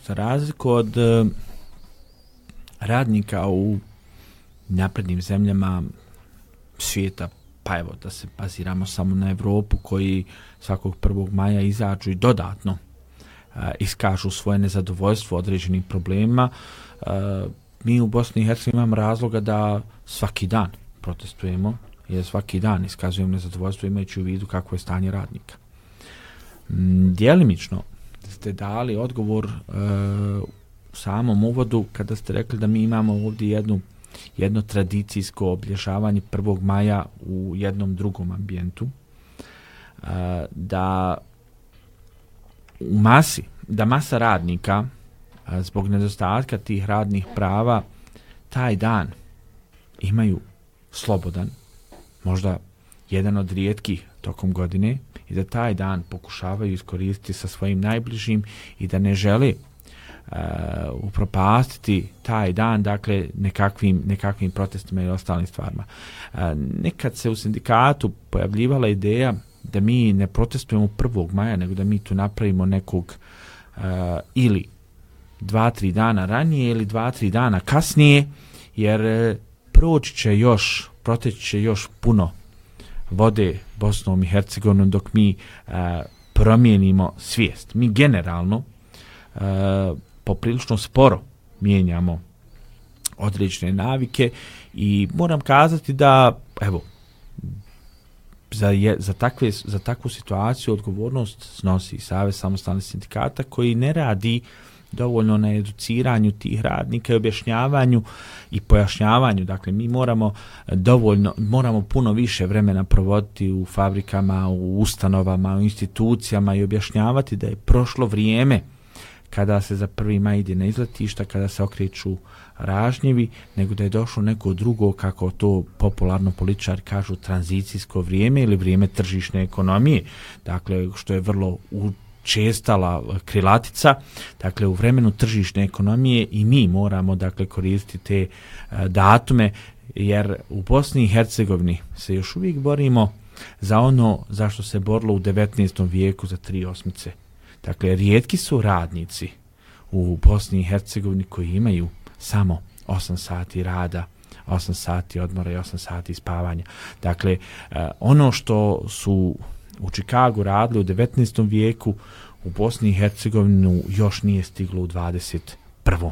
Za razliku od radnika u naprednim zemljama svijeta, pa evo da se baziramo samo na Europu, koji svakog 1. maja izađu i dodatno iskažu svoje nezadovoljstvo određenim problemima, mi u Bosni i Hercegovini imamo razloga da svaki dan protestujemo, jer svaki dan iskazujemo nezadovoljstvo imajući u vidu kakvo je stanje radnika. Djelimično ste dali odgovor u samom uvodu kada ste rekli da mi imamo ovdje jedno tradicijsko obilježavanje 1. maja u jednom drugom ambijentu, da masa radnika zbog nedostatka tih radnih prava taj dan imaju slobodan, možda jedan od rijetkih tokom godine, i da taj dan pokušavaju iskoristiti sa svojim najbližim i da ne žele upropastiti taj dan, dakle nekakvim protestima i ostalim stvarima. Nekad se u sindikatu pojavljivala ideja da mi ne protestujemo 1. maja, nego da mi tu napravimo nekog ili 2-3 dana ranije ili 2-3 dana kasnije, jer proteći će još puno vode Bosnom i Hercegovinom dok mi promijenimo svijest. Mi generalno poprilično sporo mijenjamo određene navike i moram kazati da evo za takvu situaciju odgovornost snosi Savez samostalnih sindikata, koji ne radi dovoljno na educiranju tih radnika i objašnjavanju i pojašnjavanju. Dakle, mi moramo puno više vremena provoditi u fabrikama, u ustanovama, u institucijama i objašnjavati da je prošlo vrijeme kada se za 1. maj ide na izletišta, kada se okreću ražnjevi, nego da je došlo neko drugo, kako to popularno političari kažu, tranzicijsko vrijeme ili vrijeme tržišne ekonomije, dakle, što je vrlo učestala krilatica. Dakle, u vremenu tržišne ekonomije i mi moramo, dakle, koristiti te datume, jer u Bosni i Hercegovini se još uvijek borimo za ono za što se borilo u 19. vijeku za 3 osmice. Dakle, rijetki su radnici u Bosni i Hercegovini koji imaju samo 8 sati rada, 8 sati odmora i 8 sati spavanja. Dakle, ono što su u Čikagu radili u 19. vijeku, u Bosni i Hercegovini još nije stiglo u 21.